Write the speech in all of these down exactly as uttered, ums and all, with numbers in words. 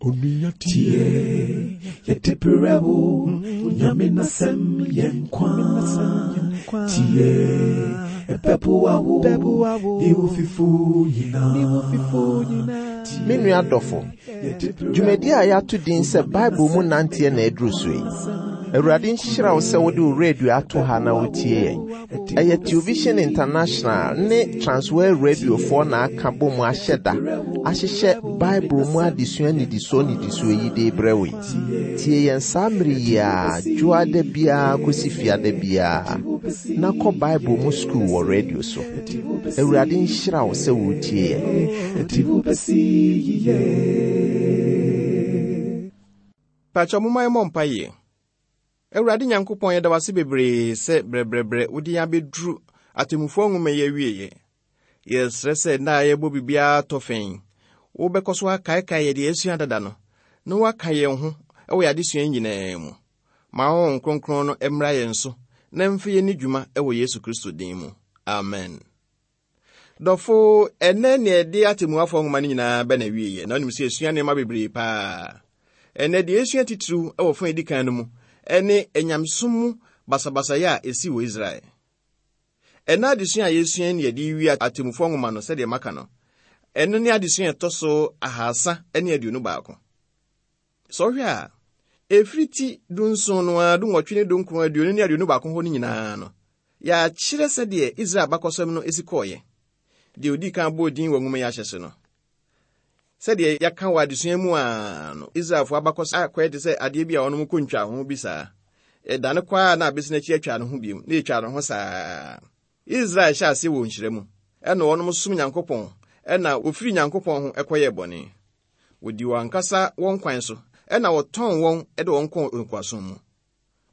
Onua tie, yɛde brɛ wo, Nyame n'asɛm yɛ nkwa. Tie, ɛbɛboa wo, ne wo fifo nyinaa. Me nua dɔfo, dwumadi a yɛato din sɛ Bible mu nanteɛ na aduru so yi. Awurade nhyira wo sɛ wode wo radio ato ha na wotie yɛn. Ɛyɛ Television International ne Transworld Radiofoɔ na aka bɔ mu ahyɛ da ahyehyɛ Bible mu adesua nnidisoɔ nnidisoɔ yi de brɛ wo yi. Tie yɛn saa mmere yi a dwoada biara kɔsi fiada biara na kɔ Bible mu sukuu wɔ radio so. Awurade nhyira wo sɛ wotie yɛn. Ɛde wo bɛsi yiye. Pakyɛ momma yɛmmɔ mpaeɛ. Awurade Nyankopɔn, yɛda wo ase bebree sɛ brɛbrɛbrɛ wode yɛn abɛduru atemmufoɔ nwoma yi awieeɛ. Yɛsrɛ sɛ nna a yɛbɔ biribiara tɔ fɛn, wobɛkɔ so akaekae yɛde yɛasua dada no, na woaka yɛn ho wɔ yɛn adesua nyinaa mu. Ma Honhom Kronkron no mmra yɛn so na mfa yɛn ni dwuma wɔ Yesu Kristo din mu. Amen. Dɔfo, ɛnɛ nea ɛde atemmuafoɔ nwoma no nyinaa bɛ na awieeɛ, na wonim sɛ yɛsua nneɛma bebree paa. Ɛnɛ deɛ yɛsua titiriw wɔ fa a ɛdi kan no mu ɛne anyamesom mu basabasayɛ a ɛsi wɔ Israel. Ɛna adesua a yɛsua ne yɛde wie atemmufoɔ nwoma no sɛdeɛ maka no, ɛno ne adesua a ɛtɔ so ahasa ne aduonu baako. Sɛ ɔhwɛ a, ɛfiri ti dunson no ara, dunwɔtwe ne dunkron, aduonu ne aduonu baako hɔ no nyinaa no, yɛakyerɛ sɛdeɛ Israel abakɔsɛm no esi kɔɔeɛ. Deɛ odii kan bɔɔ din wɔ nwoma yi ahyɛ no. Sɛdeɛ yɛaka wɔ adesua mu a no, Israelfoɔ abakɔsɛm akɔyɛ te sɛ adeɛ bi a wɔnom kɔ ntwa ho bi saa. Ɛdane kɔ a na abɛsi n'akyi atwa ne ho bio, na ɛtwa ne ho saa. Israel hyɛ ase wɔ nhyira mu, ɛna wɔnom som Nyankopɔn, ɛna wɔfiri Nyankopɔn ho ɛkɔyɛɛ bɔne. Wɔdi wɔn ankasa wɔn kwan so, ɛna wɔtɔn wɔn de wɔn kɔɔ nkoasom mu.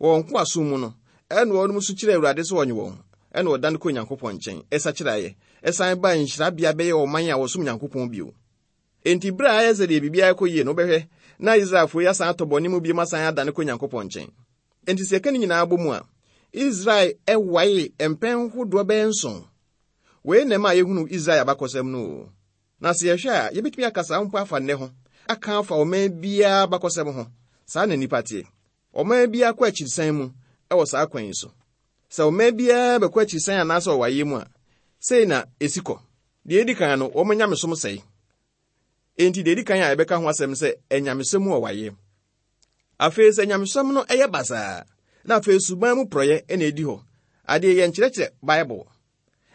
Wɔ nkoasom mu no, ɛna wɔnom nso kyerɛ Awurade sɛ ɔnye wɔn, ɛna wɔdane kɔ Nyankopɔn nkyɛn, ɛsakyeraeɛ, ɛsan baa nhyirabea bɛyɛ ɔman a wɔsom Nyankopɔn bio. Enti bere a ayɛ sɛ deɛ biribiara kɔ yie no, wobɛhwɛ na Israelfoɔ yi asan atɔ bɔne mu bio asan adane kɔ Nyankopɔn nkyɛn. Enti sɛ yɛka ne nyinaa bɔ mu a, Israel ɛwae mpɛn hodoɔ bɛyɛ nson. Wei na ɛma yɛhunu Israel abakɔsɛm no o. Na sɛ yɛhwɛ a, yɛbɛtumi aka saa mpo afa nnɛ ho, aka afa ɔman biara abakɔsɛm ho. Saa na nnipa teɛ. Ɔman biara kɔ akyirisan mu ɛwɔ saa kwan yi so. Sɛ ɔman biara bɛkɔ akyirisan anaasɛ ɔwaeɛ mu a, sei na esi kɔ. Deɛ edi kan no, wɔn nyamesom sɛe. Enti deɛ edi kan a yɛbɛka ho asɛm sɛ anyamesɛm mu ɔwaeɛ. Afei sɛ nyamesom no ɛyɛ basaa, na afei suban mu porɔeɛ ɛna edi hɔ. Adeɛ yɛ nkyerɛkyerɛ Bible.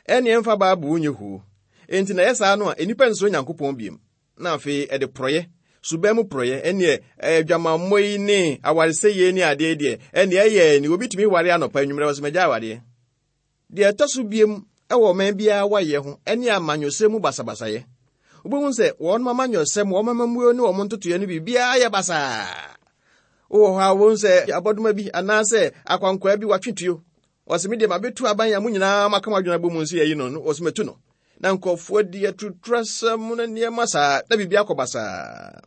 Ɛne ɛmfa Bible nyɛ huo. Enti na ɛyɛ saa no a, nnipa nsuro Nyankopɔn bio. Na afei ɛde porɔeɛ, suban mu porɔeɛ, ɛneɛ adwamammɔ yi ne awaresɛyie ne adeɛ deɛ, ɛneɛ ɛyɛ ni obi tumi ware anɔpa anwummerɛ wɔ sɛ magya awareɛ. Deɛ ɛtɔ so biem ɛwɔ ɔman biara wayɛ ho ɛne amanyɔsɛm mu basabasayɛ. Wobɛhu sɛ wɔn amanyɔsɛm, wɔn amammuo ne wɔn ntotoeɛ no biribiara yɛ basaa. Wowɔ hɔ a wobɛhu sɛ abɔdoma bi anaasɛ akwankwaa bi watwe tuo. Ɔsɛ me deɛ mabɛtu aban a mo nyinaa maka mo adwene abɔ mu nso yɛyi no, ɔsɛ matu no. Na nkurɔfoɔ di atuturasɛm ne nneɛma saa na biribi akɔ basaa.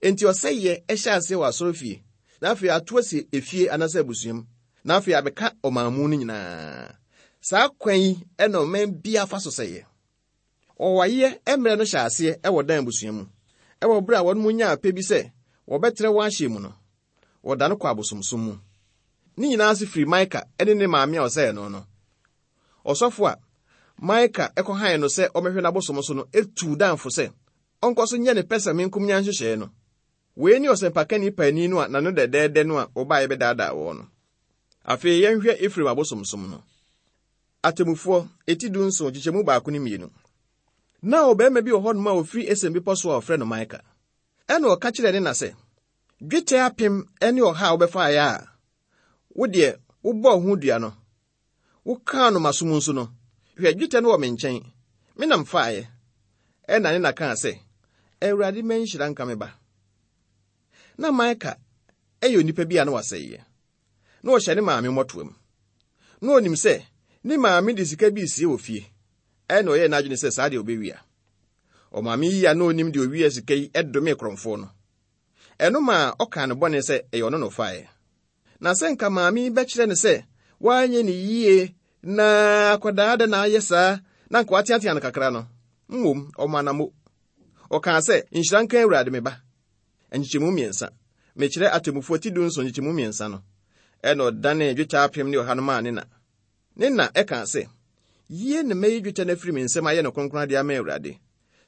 Enti ɔsɛeɛ ɛhyɛ aseɛ wɔ asɔrefie, na afei ato asi efie anaasɛ abusua mu, na afei abɛka ɔman mu no nyinaa. Saa kwan yi ɛna ɔman biara fa so sɛeɛ. Ɔwaeɛ mmerɛ no hyɛ aseɛ ɛwɔ Dan abusua mu. Ɛwɔ berɛ a wɔn mu nyaa pɛ bi sɛ wɔbɛtrɛ wɔn ahyɛ mu no, wɔdane kɔ abosomsom mu. Ne nyinaa ase firi Mika ne ne maame a ɔsɛe no no. Ɔsɔfo a Mika ɛkɔhan no sɛ ɔmɛhwɛ n'abosom so no etu Danfo sɛ ɔnkɔ so nyɛ ne pɛsɛmenkomenya nhyehyɛe no. Wei ne ɔsɛmpakani paani no a n'ano dɛdɛɛdɛ no a ɔbaeɛ bɛdaadaa wɔn no. Afei yɛnhwɛ Efraim abosomsom no. Atemmufoɔ eti dunson kyekyɛmu baako ne mmienu. Na ɔbarima bi wɔ hɔnom a ofiri Efraim bepɔ so a ɔfrɛ no Mika. Ɛna ɔka kyerɛɛ ne na sɛ, dwetɛ apem ne ɔha a wobɛfaeɛ a, wo deɛ wobɔɔ ho dua no, wokaa no m'asom nso no, hwɛ dwetɛ no wɔ me nkyɛn, me nam faeɛ. Ɛna ne na kaa sɛ, Awurade ma nhyira nka me ba. Na Mika ɛyɛ onipa bi a na wasɛeɛ. Na ɔhyɛ ne maame mmɔtoam. Na onim sɛ ne maame de sika bi sie wɔ fie. Ɛna ɔyɛɛ n'adwene sɛ saa deɛ ɔbɛwia. Ɔmaame yi a na onim deɛ owia sika yi ɛdome korɔmfoɔ no. Ɛno maa ɔkaa ne bɔne sɛ ɛyɛ ɔno na ɔfaeɛ. Na sɛ nka maame yi bɛkyerɛ no sɛ wanyɛ ne yie na akwadaa da na ayɛ saa na nka wateatea no kakra no, mmom ɔma no mo. Ɔkaa sɛ, nhyira nka Awurade me ba. nkyekyɛmu mmiɛnsa. Mekyerɛ atemmufoɔ ti du nson nkyekyɛmu mmiɛnsa no. Ɛna ɔdanee dwetɛ apem ne ɔha no maa ne na. Ne na ɛka sɛ, yie na mɛyi dwetɛ no afiri me nsam ayɛ no kronkron adeɛ ama Awurade.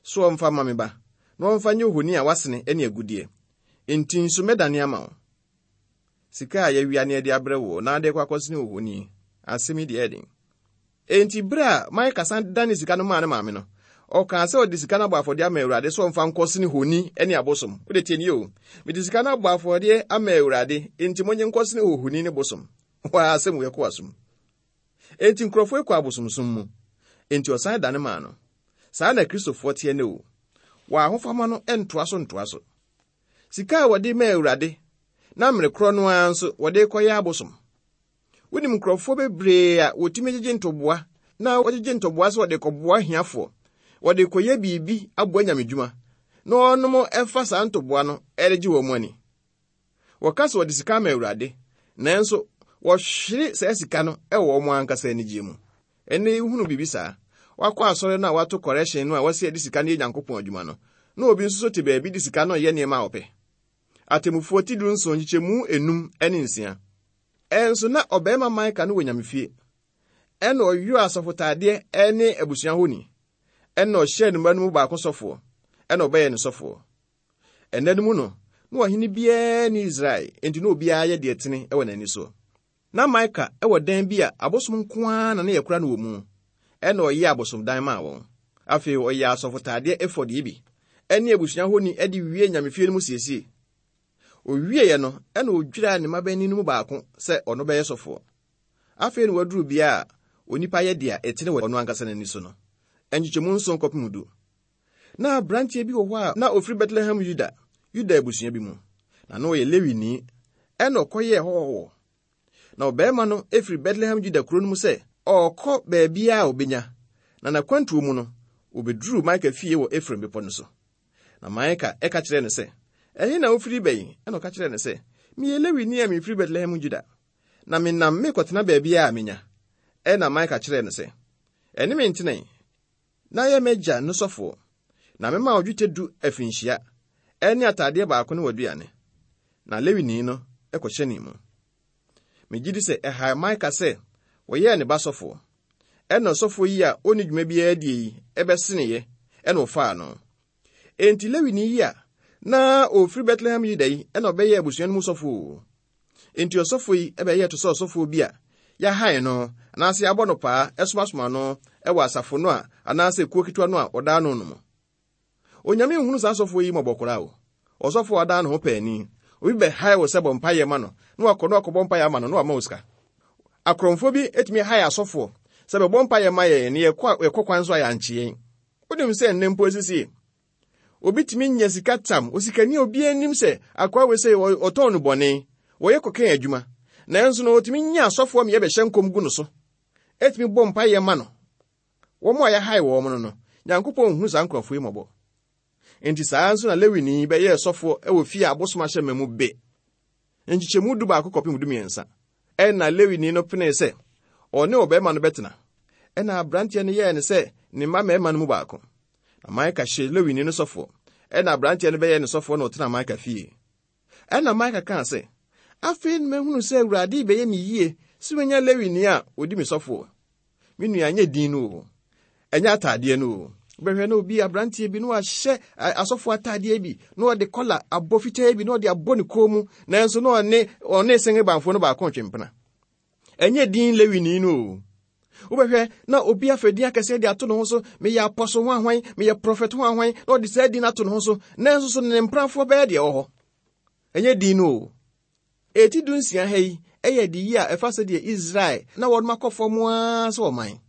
So ɔmfa ma me ba, na ɔmfa nyɛ ohoni a wasene ne agudeɛ. Enti nso mɛdane ama wo. Sika a yɛawia ne yɛde abrɛ wo na ade kɔ akɔsene ohoni. Asɛm yi deɛ ɛden. Enti bere a Mika san dane sika no maa ne maame no, ɔkaa sɛ ɔde sika no abɔ afɔdeɛ ama Awurade sɛ ɔmfa nkɔsene honi ne abosom. Wode tie nie o. Mede sika no abɔ afɔdeɛ ama Awurade, enti monye nkɔsene ohoni ne bosom. Waa asɛm wei kɔ asom. Enti nkurɔfoɔ kɔ abosomsom mu. Enti ɔsan dane maa no. Saa na Kristofoɔ teɛ ne o. Wɔ ahofama no ntoa so ntoa so. Sika a wɔde maa Awurade, na mmere korɔ no ara nso wɔde kɔyɛ abosom. Wonim nkurɔfoɔ bebree a wɔtumi gyegye ntoboa, na wɔgyegye ntoboa sɛ wɔde kɔboa ahiafoɔ. Wɔde kɔyɛ biribi aboa nyamedwuma, na wɔnom ɛfa saa ntoboa no ɛregye wɔn ani. Wɔka sɛ wɔde sika ama Awurade, nanso wɔhwere saa sika no ɛwɔ wɔn ankasa anigye mu. Ɛnnɛ yi wohunu biribi saa. Wakɔ asɔre no a wato correction no a wɔsi ɛde sika no yɛ Nyankopɔn adwuma no, na obi nso so te baabi de sika no yɛ nneɛma a ɔpɛ. Atemmufoɔ ti du nson nkyekyɛmu enum ne nsia. Ɛnso na ɔbarima Mika no wɔ nyamefie. Ɛna ɔyɔɔ asɔfotaadeɛ ne abusua honi. Ɛna ɔhyɛɛ ne mma no mu baako sɔfoɔ. Ɛna ɔbɛyɛ ne sɔfoɔ. Ɛnna no mu no, na ɔhene biara ne Israel, enti na obiara yɛ deɛ tene wɔ n'ani so. Na Mika wɔ dan bi a abosom nko ara na ne yɛkora no wɔ mu. Ɛna ɔyɛɛ abosomdan maa wɔn. Afei ɔyɛɛ asɔfotaadeɛ efɔd yi bi, ɛne abusua honi de wie nyamefie no mu siesie. Owieɛ no, ɛna odwiraa ne mmabanin no mu baako sɛ ɔno bɛyɛ sɔfoɔ. Afei na waduru bea a onipa yɛ deɛ ɛtene wɔ ɔno ankasa n'ani so no. Nkyekyɛmu nson kɔpem du. Na aberanteɛ bi wɔ hɔ a na ofiri Bethlehem Yuda, Yuda abusua bi mu. Na na ɔyɛ Lewini, ɛna ɔkɔyɛɛ hɔhɔhɔ. Na ɔbarima no efiri Bethlehem Yuda kuro no mu sɛ ɔrekɔ baabiara a obenya. Na n'akwantuo mu no, obeduruu Mika fie wɔ Efraim bepɔ no so. Na Mika ɛka kyerɛɛ no sɛ, ɛhe na wofiri ba yi? Ɛna ɔka kyerɛɛ no sɛ, meyɛ Lewini a mefiri Bethlehem Juda, na menam mekɔtena baabiara a menya. Ɛna Mika kyerɛɛ no sɛ, ɛne me ntena na yɛ m'agya no sɔfoɔ, na mema wo dwetɛ du afinhyia, ɛne ataadeɛ baako ne w'aduane. Na Lewini no ɛkɔhyɛnee mu. Megye di sɛ ɛhae Mika sɛ wɔyɛɛ ne ba sɔfoɔ. Ɛna ɔsɔfoɔ yi a ɔnni dwuma biara die yi ɛbɛseneeɛ, ɛna ɔfaa no. Enti Lewini yi a na ofiri Bethlehem Yuda yi ɛna ɔbɛyɛɛ abusua no mu sɔfoɔ. Enti ɔsɔfoɔ yi ɛbɛyɛɛ te sɛ ɔsɔfoɔ bi a yɛahae no anaasɛ yɛabɔ no paa ɛsomasoma no ɛwɔ asafo no a anaasɛ kuo ketewa no a ɔdaa no no mu. Onyame nhunu saa asɔfoɔ yi mmɔbɔ koraa o. Ɔsɔfoɔ a ɔdaa ne ho paani. Obi bɛhae wo sɛ bɔ mpaeɛ ma no, na wakɔ na wakɔbɔ mpaeɛ ama no na wama wo sika. Akorɔmfoɔ bi etumi hae asɔfoɔ sɛ bɛbɔ mpaeɛ ma yɛn na yɛkɔ yɛkɔ kwan so a yɛankye yɛn. Wonim sɛ nnɛ mpo esisie. Obi tumi nya sika tam, osikani a obiara nim sɛ akoa wei sɛ ɔtɔn no bɔne, wɔyɛ kɔkɛn adwuma. Nanso no otumi nya asɔfoɔ ma yɛbɛhyɛ nkɔm gu no so. Etumi bɔ mpaeɛ ma no. Wɔn a yɛhae wɔn no no, Nyankopɔn nhu saa nkurɔfoɔ yi mmɔbɔ. Enti saa nso na Lewini bɛyɛɛ sɔfoɔ wɔ fie a abosom ahyɛ ma mu be. Nkyekyɛmu du baako kɔpem du mmiɛnsa. Ɛna Lewini no penee sɛ ɔne ɔbarima no bɛtena. Ɛna aberanteɛ no yɛɛ no sɛ ne mma mmarima no mu baako. Na Mika hyɛɛ Lewini no sɔfoɔ. Ɛna aberanteɛ no bɛyɛɛ ne sɔfoɔ na ɔtena Mika fie. Ɛna Mika kaa sɛ, afei na mahunu sɛ Awurade bɛyɛ me yie sɛ menya Lewini a odi me sɔfoɔ. Me nua, ɛnyɛ din no o, ɛnyɛ ataadeɛ no o. Wobɛhwɛ na obi aberanteɛ bi na wahyɛ asɔfoɔ ataadeɛ bi na ɔde kɔla abɔ fitaa bi na ɔde abɔ ne kɔn mu, nanso na ɔne ɔne sengebanfoɔ no baako ntwempena. Ɛnyɛ din Lewini no o. Wobɛhwɛ na obi afa din akɛseɛ de ato ne ho so, meyɛ apɔso ho ahwan, meyɛ prɔfɛt ho ahwan, na ɔde saa din ato ne ho so, nanso so ne mprafoɔ bɛyɛ deɛ ɛwɔ hɔ. Ɛnyɛ din no o. Eti du nsia ha yi ɛyɛ de yi a ɛfa sɛdeɛ Israel na wɔn akɔ fam ara sɛ ɔman.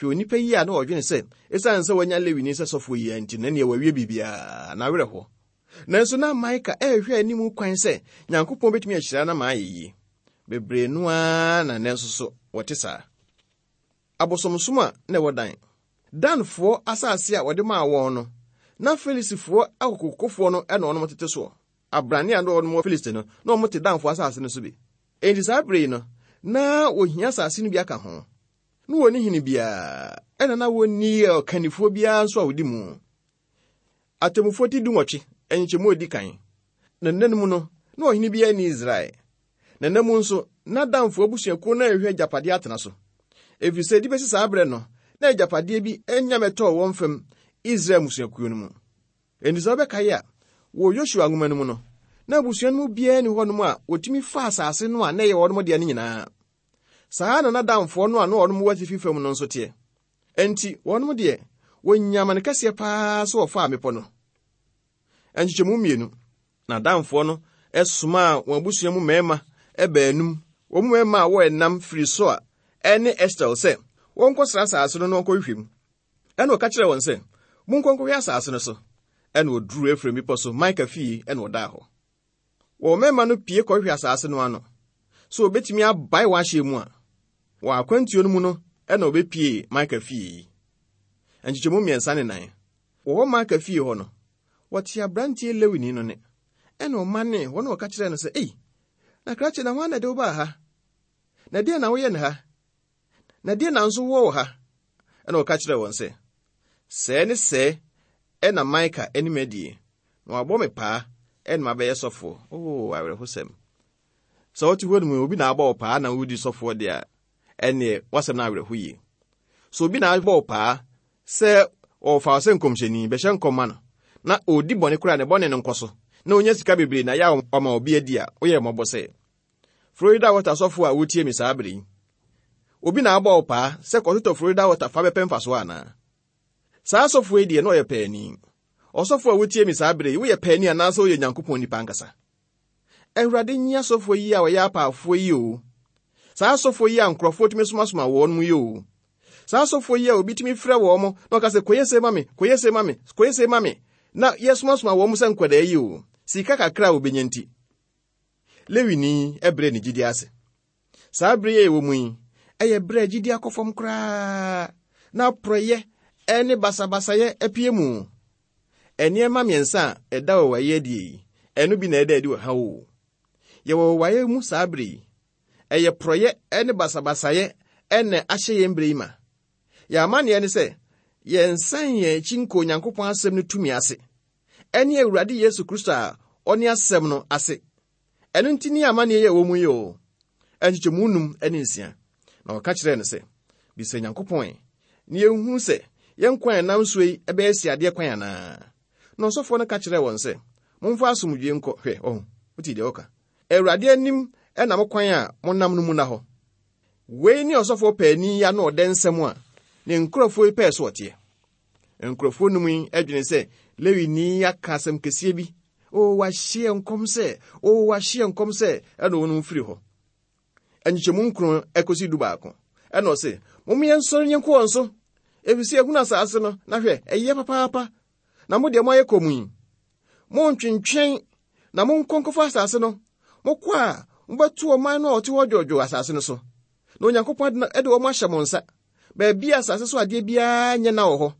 Hwɛ onipa yi a na ɔdwene sɛ ɛsiane sɛ wanya Lewini sɛ sɔfoɔ yi nti na nea wawie biribiara na awerɛ hɔ. Nanso na Mika ɛrehwɛ anim kwan sɛ Nyankopɔn bɛtumi ahyira no ama ayɛ yie. Bebree no ara na nanso so wɔte saa. Abosomsom a na ɛwɔ Dan. Danfoɔ asase a wɔde maa wɔn no, na Filistifoɔ akokokofoɔ no ɛna wɔn tete soɔ. Abrane a na wɔn wɔ Filisti no, na wɔn te Danfoɔ asase no so bi. Enti saa bere yi no, na wɔhia asase no bi aka ho. Na wɔnni hene biara, ɛna na wɔnni ɔkannifoɔ biara nso a wɔdi mu. Atemmufoɔ ti dunwɔtwe, Nkyekyɛmu a edi kan. Na nna no mu no, na ɔhene biara nni Israel. Na nna mu nso, na Danfo abusuakuo no rehwehwɛ agyapadeɛ atena so. Ɛfiri sɛ, de bɛsi saa berɛ no, na agyapadeɛ bi anya mmɛtɔɔ wɔn fam Israel mmusuakuo no mu. Enti sɛ wobɛkae a, wɔ Yosua nwoma no mu no, na abusua no mu biara nni hɔnom a wɔtumi fa asase no a na ɛyɛ wɔn dea no nyinaa. Saa na na Danfoɔ no a na wɔnom wɔ atifi fam no nso teɛ. Enti wɔnom deɛ, wɔnya amane kɛseɛ paa sɛ wɔfaa mmepɔ no. Nkyekyɛmu mmienu. Na Danfoɔ no somaa wɔn abusua mu mmarima baanum, wɔn mu mmarima a wɔyɛ nam firi Soa ne Estel sɛ wɔnkɔsra asase no na wɔnkɔhwehwɛ mu. Ɛna ɔka kyerɛɛ wɔn sɛ, monkɔ nkɔhwɛ asase no so. Ɛna wɔduruu Efraim bepɔ so Mika fie ɛna ɔdaa hɔ. Wɔn mmarima no pie kɔhwehwɛ asase no ano, sɛ wɔbɛtumi abae wɔn ahyɛ mu a, wɔn akwantuo no mu no ɛna wɔbɛpie Mika fie yi. Nkyekyɛmu mmiɛnsa ne nan. Wɔwɔ Mika fie hɔ no, wɔte aberanteɛ Lewini no ne. Ɛna ɔmanee hɔ na ɔka kyerɛɛ no sɛ, ei, na krakye na hwan na ɛde wo baa ha? Na deɛ na woyɛ ne ha? Na deɛ na nso wowɔ wɔ ha? Ɛna ɔka kyerɛɛ wɔn sɛ, sɛɛ ne sɛɛ ɛna Mika anim adie, na wabɔ me paa ɛna mabɛyɛ sɔfoɔ. Oo, awerɛhosɛm. Sɛ wote hɔ no mu, obi na abɔ wo paa na wodi sɔfoɔ deɛ a, ɛneɛ wasɛm no awerɛho yie. So obi na abɔ wo paa sɛ ɔfa wo sɛ nkɔmhyɛni, bɛhyɛ nkɔm ma no, na ɔdi bɔne koraa ne bɔne no nkɔ so, na onya sika bebree na yɛ a ɔma obi adi a, woyɛ mmɔbɔ sɛ. Florida Water sɔfoɔ a wotie me saa bere yi, obi na abɔ wo paa sɛ kɔtotɔ Florida Water fa bɛpɛ mfasoɔ anaa? Saa sɔfoɔ yi deɛ na ɔyɛ paani. Ɔsɔfoɔ a wotie me saa bere yi, woyɛ paani anaasɛ woyɛ Nyankopɔn nipa ankasa? Awurade nyi asɔfoɔ yi a wɔyɛ apaafoɔ yi o. Saa asɔfoɔ yi a nkurɔfoɔ tumi somasoma wɔn mu yi o. Saa asɔfoɔ yi a obi tumi frɛ wɔn mo na ɔka sɛ kɔyɛ se ma me, kɔyɛ se ma me, kɔyɛ se ma me, na yɛsomasoma wɔn mo sɛ nkwadaa yi o. Sika kakra a wobɛnya nti. Lewini ɛbrɛ ne gyidi ase. Saa bere yi a ɛwɔ mu yi, ɛyɛ berɛ a gyidi akɔ fam koraa, na porɔyɛ ɛne basabasayɛ apue mu. Nneɛma mmiɛnsa a ɛda wɔ wayɛ adie yi, ɛno bi na ɛda adi wɔ ha o. Yɛwɔ wayɛ mu saa bere yi. Ɛyɛ porɔyɛ ɛne basabasayɛ ɛna ahyɛ yɛn bere yi ma. Yɛn amanneɛ ne sɛ, yɛnsan yɛn akyi nkɔ Onyankopɔn asɛm no tumi ase, ɛne Awurade Yesu Kristo a ɔne asɛm no ase. Ɛno nti ne amanneɛ yi a ɛwɔ mu yi o. Nkyekyɛmu num ne nsia. Na ɔka kyerɛɛ no sɛ, bisa Nyankopɔn ɛ, na yɛnhu sɛ yɛn kwan a ɛnam so yi ɛbɛyɛ siadeɛ kwan anaa? Na ɔsɔfoɔ no ka kyerɛɛ wɔn sɛ, momfa asomdwoe nkɔ. Hwɛ, ɔho, wote deɛ ɔka. Awurade anim ɛna mo kwan a monam no mu na hɔ. Wei ne ɔsɔfoɔ paani yi ano ɔdɛ nsɛm a ne nkurɔfoɔ yi pɛɛ so ɔteɛ. Nkurɔfoɔ num yi adwene sɛ Lewini yi aka asɛm kɛseɛ bi. O, wahyeɛ nkɔm sɛ, o, wahyeɛ nkɔm sɛ, ɛna wɔnom firi hɔ. Nkyekyɛmu nkron ɛkɔsi du baako. Ɛna ɔse, momma yɛnsɔre nyɛnkɔ wɔn so, ɛfiri sɛ yɛhunu asase no, na hwɛ, ɛyɛ papaapa. Na mo deɛ moayɛ kɔm yi, montwentwɛn na monkɔ nkɔfa asase no. Mokɔ a, mobɛto ɔman no a ɔte hɔ dwoodwoo asase no so. Na Onyankopɔn de wɔn ahyɛ mo nsa. Baabi a asase so adeɛ biara nyɛ na wɔ hɔ.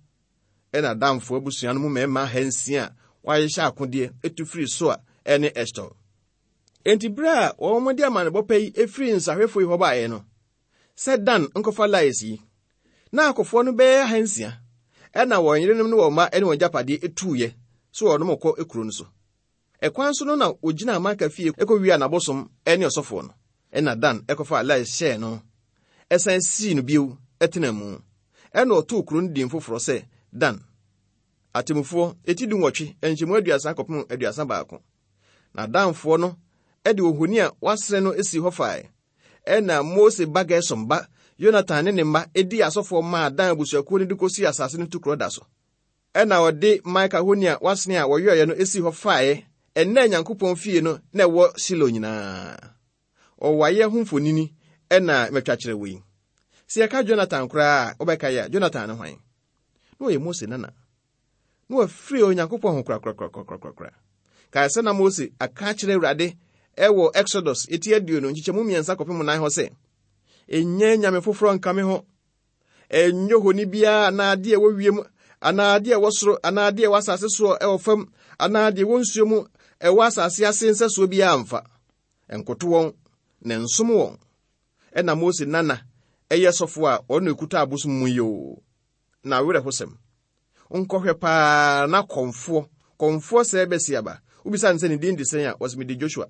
Ɛna Danfoɔ abusua no mu mmarima ahansia a wɔahyehyɛ akodeɛ etu firi Soa ɛne Estel. Enti bere a wɔn de amanebɔ pa yi efiri nsahwɛfoɔ yi hɔ baeɛ no, sɛ Dan nkɔfa Lais yi, na akɔfoɔ no bɛyɛ ahansia, ɛna wɔn yerenom ne wɔn mma ne wɔn agyapadeɛ etuiɛ so wɔn kɔ kuro no so. Ɛkwan so no na wogyina Mika fie kɔwia n'abosom ne ɔsɔfoɔ no. Ɛna Dan ɛkɔfa Lais hyɛɛ no, ɛsan sii no bio ɛtena mu. Ɛna ɔtoo kuro no din foforɔ sɛ Dan. Atemmufoɔ eti dunwɔtwe nkyɛmu aduasa kɔpem aduasa baako. Na Danfoɔ no ɛde ohoni a wasene no esi hɔ fae. Ɛna Mose ba Gersom ba Yonatan ne ne mma edi asɔfoɔ maa Dan abusuakuo no de kɔsi asase no tukorɔ da so. Ɛna ɔde Mika honi a wasene a wɔyɔeɛ no esi hɔ faeɛ ɛnna Nyankopɔn fie no na ɛwɔ Silo nyinaa. Ɔwayɛ ho mfonini ɛna mɛtwa kyerɛ wo yi. Sɛ yɛka Jonathan koraa a, wobɛka yɛ a, Jonathan ne hwan? Na ɔyɛ Mose nana. Na wafiri Onyankopɔn ho korakorakorakorakora. Kae sɛ na Mose aka akyerɛ Awurade ɛwɔ Exodus eti aduonu nkyekyɛmu mmiɛnsa kɔpem nan hɔ sɛ, ɛnyɛ nyame foforɔ nka me ho. Ɛnyɛ honi biara anaa adeɛ a ɛwɔ wiem, anaa adeɛ a ɛwɔ soro, anaa adeɛ a ɛwɔ asase soɔ ɛwɔ fam, anaa adeɛ ɛwɔ nsuo mu ɛwɔ asase ase nsɛsoɔ biara mfa. Ɛnkoto wɔn na nsom wɔn. Ɛna Mose nana ɛyɛ sɔfo a ɔno ekuta abosom mu yi o. Na awerɛhosɛm. Nkɔhwɛ paa na kɔmfoɔ, Kɔmfoɔ sɛɛ bɛsi aba. Wobisa no sɛ ne din de sɛn a, wɔsɛ mede Joshua.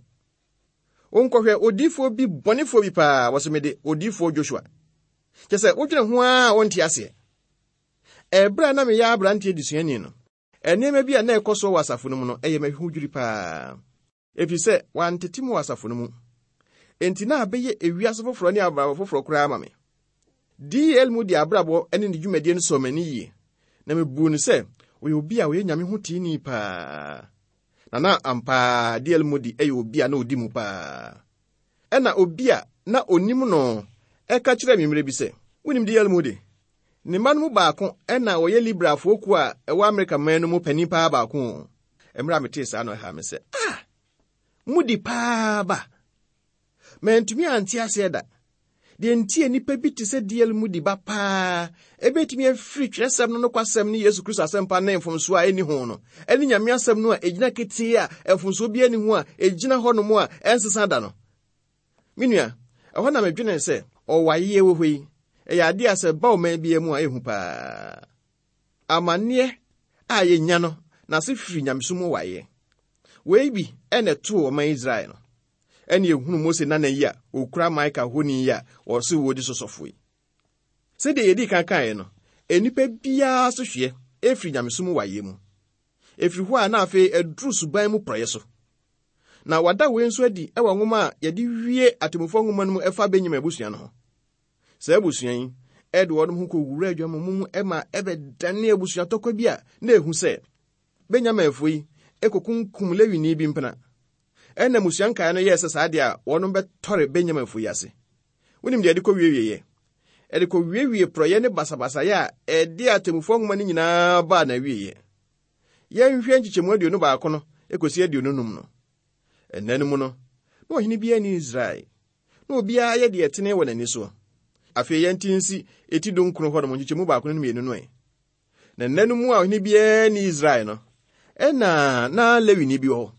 Wonkɔhwɛ odiyifoɔ bi bɔnefoɔ bi paa, wɔsɛ mede odiyifoɔ Joshua. Kyɛ sɛ wodwene ho ara a wonte aseɛ. Ɛberɛ a na meyɛ aberanteɛ desuani no, nneɛma bi a na ɛkɔ so wɔ asafo no mu no, ɛyɛ me ahodwiri paa. Ɛfiri sɛ, wantete mu wɔ asafo no mu. Enti na abɛyɛ ewiase foforɔ ne abrabɔ foforɔ koraa ma me. D L Moody abrabɔ ne ne dwumadie no sɔɔ m'ani yie, na mebuu no sɛ ɔyɛ obi a ɔyɛ Nyame ho teeni paa. Na na ampa D L Moody yɛ obi a na odi mu paa. Ɛna obi a na onim no ɛka kyerɛɛ me mmerɛ bi sɛ, wonim D L Moody? Ne mma no mu baako ɛna ɔyɛ Liberalfoɔ kuo a ɛwɔ Amerika man no mu panin paa baako. Mmerɛ a metee saa no ɛha me sɛ, ah, Moody paa ba. Mantumi ante aseɛ da. Deɛ nti a nnipa bi te sɛ D L Moody ba paa, ebetumi afiri twerɛsɛm no nokwasɛm ne Yesu Kristo asɛmpa ne mfomsoɔ a ɛnni ho no, ɛne Nyame asɛm no a ɛgyina ketee a mfomsoɔ bi nni ho a ɛgyina hɔnom a ɛnsesa da no. Me nua, ɛhɔ na medwene sɛ ɔwayeɛ wɔ hɔ yi, ɛyɛ adeɛ a sɛ ba ɔman biara mu a ɛhu paa. Amanneɛ a yɛnya no, n'ase firi nyamesom mu wayeɛ. Wei bi ɛna ɛtoo ɔman Israel no. Ɛne ehunu Mose nana yi a okura Mika honi yi a ɔse wɔdi sɔsɔfo yi. Sɛdeɛ yɛdi kan kaeɛ no, nnipa biara so hwɛ efiri nyamesom mu wayeɛ mu. Efiri hɔ a na afei aduru suban mu porɔeɛ so. Na wada wei nso adi ɛwɔ nwoma a yɛde wie atemmufoɔ nwoma no mu ɛfa Benyamin abusua no ho. Saa abusua yi, ɛde wɔn ho kɔwura adwamammɔ mu ɛma ɛbɛdane abusua tɔkwa bi a na ehu sɛ Benyaminfoɔ yi ekokunkum Lewini bi mpena. Ɛna mmusua nkaeɛ no yɛɛ sɛ saa deɛ a wɔn bɛtɔre Benyaminfoɔ yi ase. Wonim deɛ ɛde kɔ wiewieɛ? Ɛde kɔ wiewie porɔeɛ ne basabasayɛ a ɛde atemmufoɔ nwoma no nyinaa baa n'awieeɛ. Yɛnhwɛ nkyekyɛmu aduonu baako no ekosi aduonu num no. Ɛnna no mu no, na ɔhene biara nni Israel, na obiara yɛ deɛ ɛtene wɔ n'ani soɔ. Afei yɛnte nsi eti dunkron hɔnom nkyekyɛmu baako ne mmienu no ɛ. Na nna no mu a ɔhene biara nni Israel no, ɛna na Lewini bi wɔ hɔ.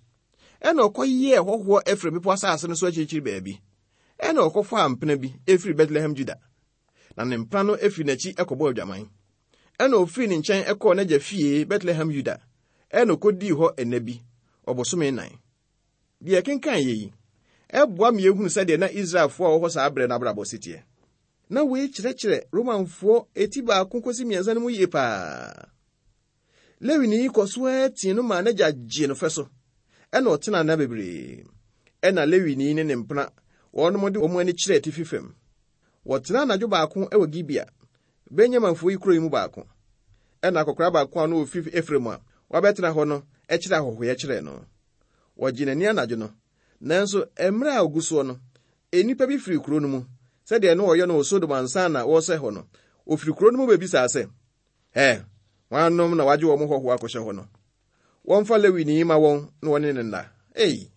Ɛna ɔkɔyɛɛ hɔhoɔ efiri bepɔ asase no so akyirikyiri baabi. Ɛna ɔkɔfaa mpena bi efiri Bethlehem Juda. Na ne mpena no efiri n'akyi ɛkɔbɔɔ adwaman. Ɛna ofiri ne nkyɛn ɛkɔɔ n'agya fie Bethlehem Juda. Ɛna ɔkɔdii hɔ ɛnna bi, ɔbosome nnan. Deɛ ɛkenkan yɛ yi, ɛboa me ehunu sɛdeɛ na Israelfoɔ a wɔwɔ hɔ saa berɛ no abrabɔ si teɛ. Na wei kyerɛkyerɛ Romanfoɔ eti baako kɔsi mmiɛnsa no mu yie paa. Lewini yi kɔ so ara tii no maa n'agya gyee no fɛ so. Ɛna ɔtena nna bebree. Ɛna Lewini ne ne mpena wɔnom de wɔn ani kyerɛɛ atifi fam. Wɔtena anadwo baako wɔ Gibea, Benyaminfoɔ yi kuro yi mu baako. Ɛna akɔkora baako a na ofi Efraim a wabɛtena hɔ no kyerɛ ahɔhoyɛ kyerɛɛ no. Wɔgye n'ani anadwo no, nanso mmerɛ a ogu soɔ no, nnipa bi firi kuro no mu, sɛdeɛ na wɔyɛ no wɔ Sodom ansa na wɔresɛe hɔ no, ofiri kuro no mu bɛbisaa sɛ, Ɛ, hwannom na wagye wɔn hɔhoɔ akɔhyɛ hɔ no? Wɔmfa Lewini ma wɔn na wɔne ne nna. Ei!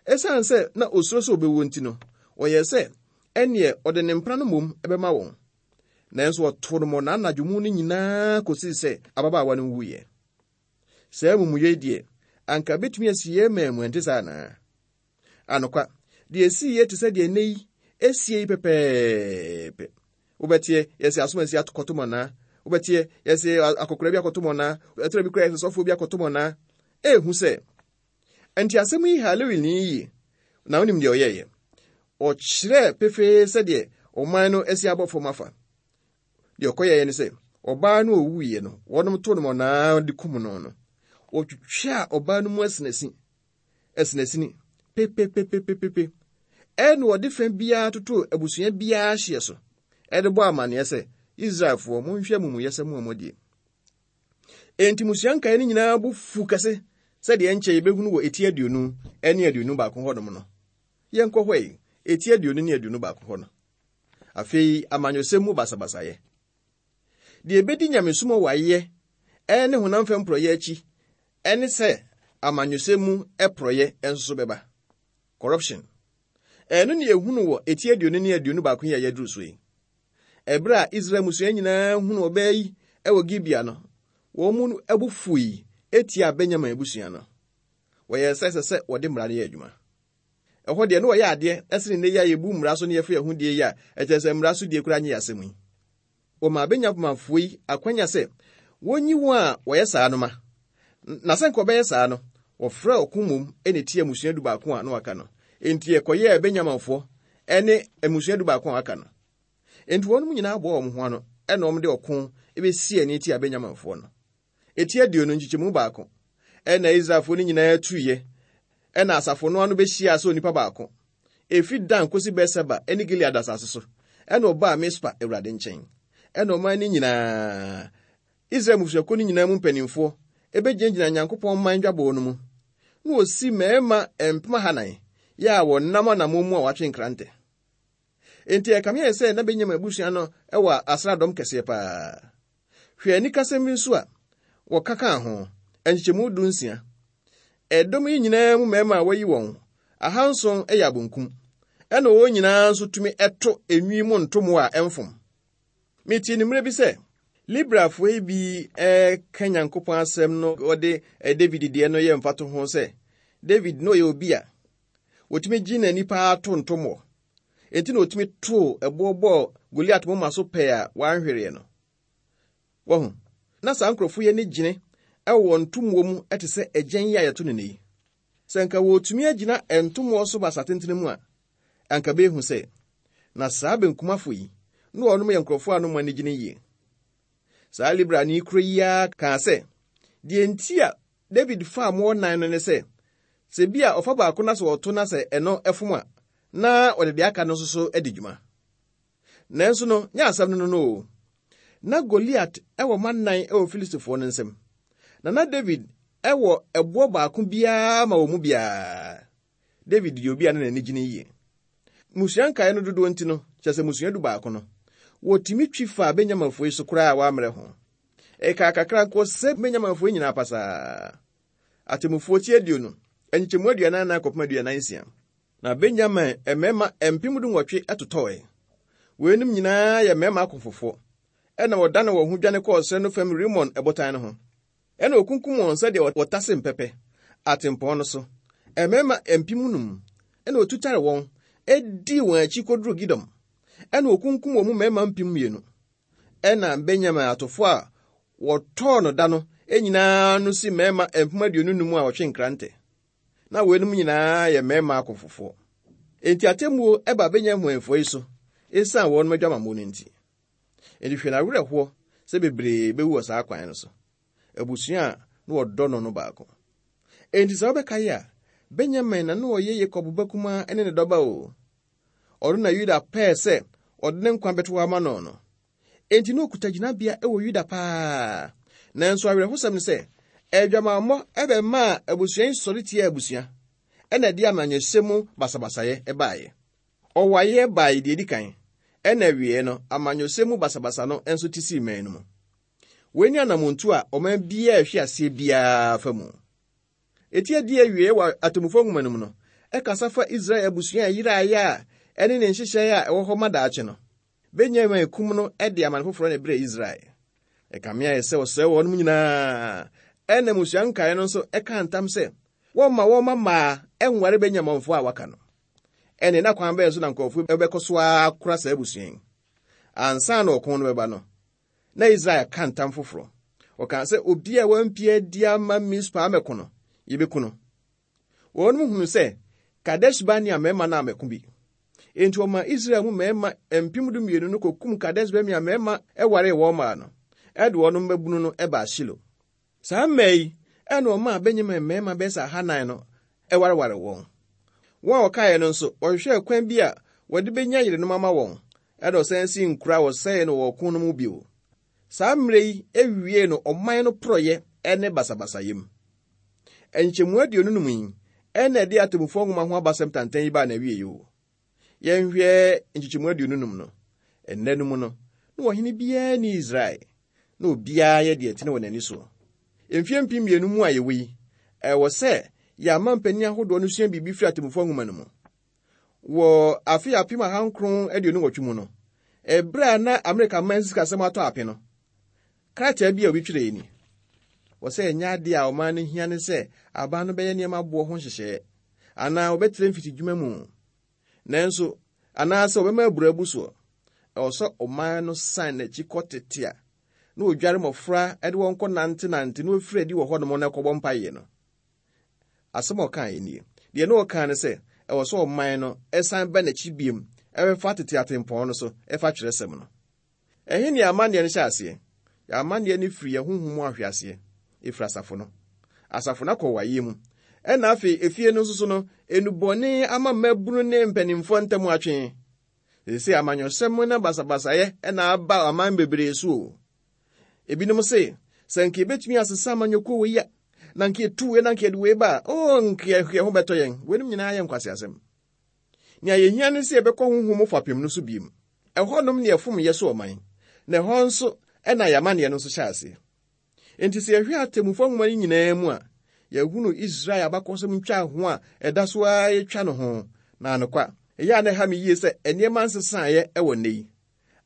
Ɛsiane sɛ na osuro sɛ obɛwu nti no, ɔyɛɛ sɛ ɛneɛ ɔde ne mpena no mmom ɛbɛma wɔn. Nanso wɔtoo no mmɔnaa anadwo mu no nyinaa kɔsii sɛ ababaawa no wuiɛ. Saa amumuyɛ yi deɛ, anka betumi asi yɛn man mu, ɛnte saa anaa? Anokwa, deɛ esii yɛ te sɛ deɛ nnɛ yi esie yi pɛpɛɛpɛ. Wobɛteɛ, yɛsɛ asomasi akɔto mmɔnaa. Wobɛteɛ, yɛsɛ akɔkora bi akɔto mmɔnaa. Ɛtɔrɔ bi koraa yɛsɛ sɔfoɔ bi akɔto mmɔnaa. Ehu sɛ, nti asɛm yi ha Lewini yie, na wonim deɛ ɔyɛeɛ. Ɔkyerɛɛ pefee sɛdeɛ ɔman no asi abɔ fam afa. Deɛ ɔkɔyɛeɛ ne sɛ, ɔbaa no owuiɛ no, wɔnom too no mmɔnaa de kum no no. Wɔtwitwaa ɔbaa no mu asinasi, asinasini, pepepepepepe. Ɛna wɔde fa biara totoo abusua biara hyeɛ so, ɛde bɔ amanneɛ sɛ, Israelfoɔ, monhwɛ amumuyɛsɛm a moadie. Enti mmusua nkaeɛ no nyinaa bo fu kɛse sɛdeɛ nkyɛ yɛbɛhunu wɔ eti aduonu ne aduonu baako hɔnom no. Yɛnkɔ hɔ yi, eti aduonu ne aduonu baako hɔ no. Afei, amanyɔsɛm mu basabasayɛ. Deɛ ebedi nyamesom wayɛ ɛne honam fam porɔyɛ akyi ɛne sɛ amanyɔsɛm mu porɔyɛ nso so bɛba. Corruption. Ɛno ne ehunu wɔ eti aduonu ne aduonu baako yi a yɛduru so yi. Ɛberɛ a Israel mmusua nyinaa hunu ɔbaa yi ɛwɔ Gibea no, wɔn mu abu fui etia Benyamin abusua no. Wɔyɛɛ sɛ ɛsɛ sɛ wɔde mmara no yɛ adwuma. Ɛhɔ deɛ na wɔyɛ adeɛ ɛsene nnɛ yi a yɛbu mmara so ne yɛfa yɛn ho die yi a ɛkyerɛ sɛ mmara so die koraa nyɛ asɛm yi. Wɔmaa Benyaminfoɔ yi akwanya sɛ wɔnyi wɔn a wɔyɛ saa no ma, Na sɛ nka ɔbɛyɛ saa no, wɔfrɛ ɔko mmom ne tia mmusua du baako a na waka no. Enti ɛkɔyɛɛ Benyaminfoɔ ne mmusua du baako a waka no. Enti wɔn nyinaa boa wɔn ho ano ɛna wɔn de ɔko bɛsi ani tia Benyaminfoɔ no. Eti aduonu nkyekyɛmu baako ɛna Israelfoɔ no nyinaa tuiɛ, ɛna asafo no ano bɛhyia sɛ onipa baako. Efi Dan kosi Beer-Seba ne Gilead asase so, ɛna ɔbaa Mispa Awurade nkyɛn. Ɛna ɔman no nyinaa, Israel mmusuakuo no nyinaa mu mpanimfoɔ ebɛgyinagyina Nyankopɔn man dwabɔ no mu. Na wɔsi mmarima mpem ahanan yɛ a wɔnam anammɔn mu a wɔatwe nkrantɛ. Enti ɛkame yɛ sɛ na Benyamin abusua no wɔ asraadɔm kɛseɛ paa. Hwɛ anikasɛm bi nso a wɔka kaa ho, nkyekyɛmu du nsia. Ɛdɔm yi nyinaa mu mmarima a wɔayi wɔn, ahanson yɛ abonkum. Ɛna wɔn nyinaa nso tumi ɛto enwi mu ntomo a ɛmfom. Metie ne mmerɛ bi sɛ, Liberalfoɔ yi bi ɛka Nyankopɔn asɛm no wɔde David deɛ no yɛ mfato ho sɛ, David na ɔyɛ obi a wɔtumi gye n'ani paa to ntomoɔ. Enti na wɔtumi too ɛboɔ bɔɔ Goliat moma so pɛɛ a wanhwereɛ no. Wɔho, na saa nkurɔfoɔ yi ani gyene ɛwɔ ntomoɔ mu ɛte sɛ agyan yi a yɛto no yi. Sɛ nka wɔtumi agyina ntomoɔ so basa tentene mu a, anka bɛhu sɛ, na saa benkumafo yi, na wɔnom yɛ nkurɔfoɔ a no mu ani gyene yie. Saa liberalni kuro yi ara kaa sɛ, deɛ nti a David faa mmoɔ nan no ne sɛ, sɛ bi a ɔfa baako na sɛ ɔto na sɛ ɛno ɛfom a, na ɔde deɛ aka no nso so adi dwuma. Nanso no, nyɛ asɛm no no no o. Na Goliat ɛwɔ mma nnan ɛwɔ Filistifoɔ no nsam. Na na David ɛwɔ ɛboɔ baako biara ma wɔn mu biara. David yɛ obi a na n'ani gyene yie. Mmusua nkaeɛ no dodoɔ nti no, kyerɛ sɛ mmusua du baako no, wɔtumi twi faa Benyaminfoɔ yi so koraa a wɔammrɛ ho. Ɛkaa kakra nko sɛ Benyaminfoɔ yi nyinaa pasaa. Atemmufoɔ ti aduonu, nkyekyɛmu aduanan nan kɔpem aduanan nsia. Na Benyamin mmarima mpem du nwɔtwe totɔe. Weinom nyinaa yɛ mmarima akofofoɔ. Ɛna wɔdane wɔn ho dwane kɔɔ serɛ no fam Rimon ɛbotan no ho. Ɛna wɔkunkum wɔn sɛdeɛ wɔtase mpɛpɛ atempɔn no so. Mmarima mpem num ɛna wɔtutare wɔn edii wɔn akyi kɔduru Gidom. Ɛna wɔkunkum wɔn mu mmarima mpem mmienu. Ɛna Benyamin atofo a wɔtɔɔ no da no nyinaa no si mmarima mpem aduonu num a wɔtwe nkrantɛ. Na weinom nyinaa yɛ mmarima akofofoɔ. Enti atemmuo ɛba Benyaminfoɔ yi so esiane wɔn adwamammɔ no nti. Enti hwɛ n'awerɛhoɔ sɛ bebree bɛwu wɔ saa kwan no so. Abusua a na wɔdɔ no no baako. Enti sɛ wobɛkae a, Benyamin na na ɔyɛ Yakob ba kumaa ne ne dɔba o. Ɔno na Yuda pɛɛ sɛ ɔde ne nkwa bɛto hɔ ama no no. Enti na okuta gyinabea wɔ Yuda paa. Nanso awerɛhosɛm ne sɛ, adwamammɔ ɛbɛmaa abusua yi sɔre tia abusua, ɛna ɛde amanyɔsɛm mu basabasayɛ ɛbaeɛ. Ɔwaeɛ baeɛ deɛ edi kan, ɛna awie no, amanyɔsɛm mu basabasa no nso te sii man no mu. Wei ne anammɔntu a ɔman biara ɛhwe aseɛ biara fa mu. Eti adi awie wɔ atemmufoɔ nwoma no mu no, ɛkasa fa Israel abusua a ɛyeraeɛ a ɛne ne nhyehyɛeɛ a ɛwɔ hɔ ma daakye no. Benyamin kum no de amane foforɔ na ɛbrɛɛ Israel. Ɛkame ayɛ sɛ ɔsɛe wɔn nyinaa. Ɛna mmusua nkaeɛ no nso ɛka ntam sɛ wɔmma wɔn mmaa ɛnware Benyaminfoɔ a waka no. Ɛne na kwan bɛyɛ so na nkurɔfoɔ bɛkɔ so akora saa abusua yi. Ansa na ɔko no bɛba no, na Israel ka ntam foforɔ. Ɔkaa sɛ obi a wampia adi ama Mispa amɛko no, yɛbɛku no. Wɔn mu hunu sɛ Kadesh Barnea mmarima no amɛko bi. Enti ɔma Israel mu mmarima mpem du mmienu no kɔkum Kadesh Barnea mmarima ɛwaree wɔn mmaa no, ɛde wɔn mmabunu no ɛbaa Shilo. Saa mmaa yi, ɛna ɔmaa Benyamin mmarima bɛyɛ sɛ ahanan no ɛwareware wɔn. Wɔn a wɔkaeɛ no nso, wɔhwehwɛɛ kwan bi a wɔde bɛnya yerenom ama wɔn, ɛna ɔsan si nkuro a wɔsɛee no wɔ ɔko no mu bio. Saa mmerɛ yi ewie no ɔman no porɔyɛ ne basabasayɛ mu. Nkyɛmu aduonu num yi, ɛna ɛde atemmufoɔ nwoma ho abasɛm tantan yi baa n'awie o. Yɛnhwɛ nkyekyɛmu aduonu num no. Ɛnnɛ no mu no, na ɔhene biara ni Israel, na obiara yɛ deɛ ɛtene wɔ n'ani soɔ. Mfeɛ mpem mmienu mu a yɛwɔ yi, ɛwɔ sɛ yɛama mpanin ahodoɔ no sua biribi firi atemmufoɔ nwoma no mu. Wɔ afe apem ahankron aduonu nwɔtwe mu no, ɛberɛ a na Amerika man sikasɛm atɔ ape no, krataa bi a obi twerɛɛ ni. Wɔ sɛ ɛnyɛ adeɛ a ɔman no hia ne sɛ aban no bɛyɛ nneɛma boɔ ho nhyehyɛeɛ, anaa wɔbɛtrɛ mfitidwuma mu. Nanso, anaasɛ wɔbɛma aburo abu soɔ. Ɛwɔ sɛ ɔman no san n'akyi kɔ tete a Na ɔdware mmɔfra de wɔn kɔ nantenante na wɔfiri adi wɔ hɔnom na ɛkɔbɔ mpaeɛ no. Asɛm a ɔkaeɛ nie. Deɛ na ɔkaa ne sɛ, ɛwɔ sɛ ɔman no ɛsan ba n'akyi biom, ɛbɛfa tete atempɔn no so, ɛfa twerɛsɛm no. Ɛhe ne amanneɛ no hyɛ aseɛ? Yɛ amanneɛ no firi yɛn honhom mu ahweaseɛ, ɛfiri asafo no. Asafo no akɔ wayɛ mu. Ɛna afei efie no nso so no, enubɔne ama mmabunu ne mpanimfoɔ ntam atwe. Seesei amanyɔsɛm ne basabasayɛ ɛna aba aman bebree so o. Ebinom se, sɛ nka yɛbɛtumi asesa amanyɔkuo wei a, na nka yɛtu wei na nka yɛde wei ba a, oo nka yɛ ho bɛtɔ yɛn. Weinom nyinaa yɛ nkwaseasɛm. Nea yɛhia ne sɛ yɛbɛkɔ honhom mu fapem no so biem. Ɛhɔnom ne ɛfom yɛ so ɔman, na ɛhɔ nso ɛna yɛamanneɛ no nso hyɛ aseɛ. Enti sɛ yɛhwɛ atemmufoɔ nwoma no nyinaa mu a, yɛhunu Israel abakɔsɛm ntwa ho a ɛda so ara yɛtwa no ho. Na anokwa, ɛyɛ a na ɛha me yie sɛ nneɛma nsesaeɛ ɛwɔ nnɛ yi.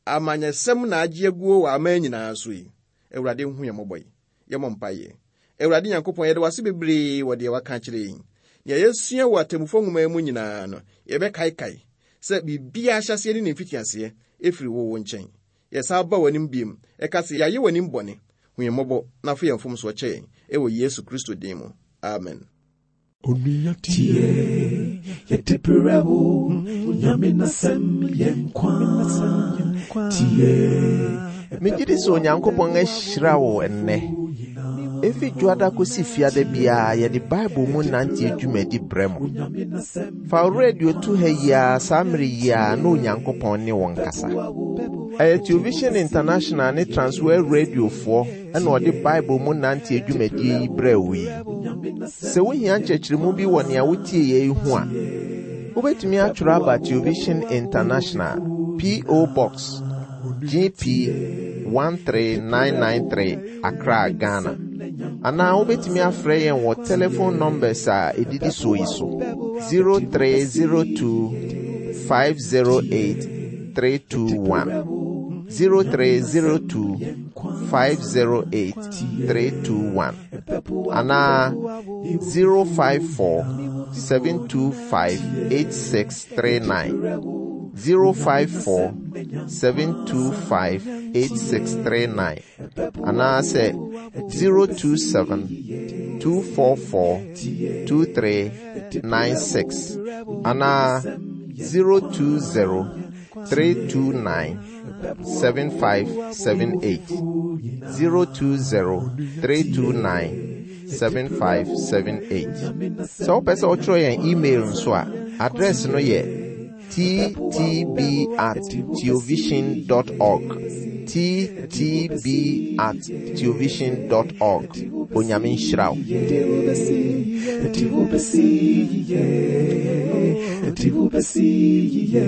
Amanyɛsɛm na agye aguo wɔ aman nyinaa so yi. Awurade nhu yɛn mmɔbɔ yi. Yɛmmɔ mpaeɛ. Awurade Nyankopɔn, yɛde w'ase bebree wɔ deɛ waka akyerɛ yɛn. Nea yɛsua wɔ atemmufoɔ nwoma mu nyinaa no, yɛbɛkaekae sɛ biribiara ahyɛseɛ ne ne mfitiaseɛ ɛfiri wo wo nkyɛn. Yɛsan ba w'anim biom, ɛka sɛ yɛayɛ w'anim bɔne. Hu yɛn mmɔbɔ na fa yɛn mfomsoɔ kyɛ yɛn ɛwɔ Yesu Kristo din mu. Amen. Onua tie, yɛde brɛ wo, Onyame n'asɛm yɛ nkwa. Tie, Megye di sɛ Onyankopɔn ahyira wo ɛnnɛ. Efi dwoada kosi fiada biara yɛde Bible mu nante dwumadi brɛ mo. Fa wo radio to ha yi ara saa mmere yi ara na Onyankopɔn ne wo nkasa. Ɛyɛ Television International ne Transworld Radiofoɔ ɛna ɔde Bible mu nante dwumadie yi brɛ wo yi. Sɛ wohia nkyerɛkyerɛmu bi wɔ nea wotie yɛ yi ho a, wobɛtumi atwerɛ aba Television International, P O. Box G P one three nine nine three, Accra, Ghana. Anaa wobɛtumi afrɛ yɛn wɔ telephone numbers a ɛdidi soɔ yi so: zero three zero two five zero eight three two one, zero three zero two five zero eight three two one, anaa zero five four seven two five eight six three nine, zero five four seven two five eight six three nine, anaasɛ zero two seven two four four two three nine six, anaa zero two zero three two nine seven five seven eight, zero two zero three two nine seven five seven eight. Sɛ wopɛ sɛ wotwerɛ yɛn email nso a, address no yɛ T T B at theovision dot org, T T B at theovision dot org. Onyame nhyira wo. Yɛde wo bɛsi, yɛde wo bɛsi yie, yɛde wo bɛsi yie.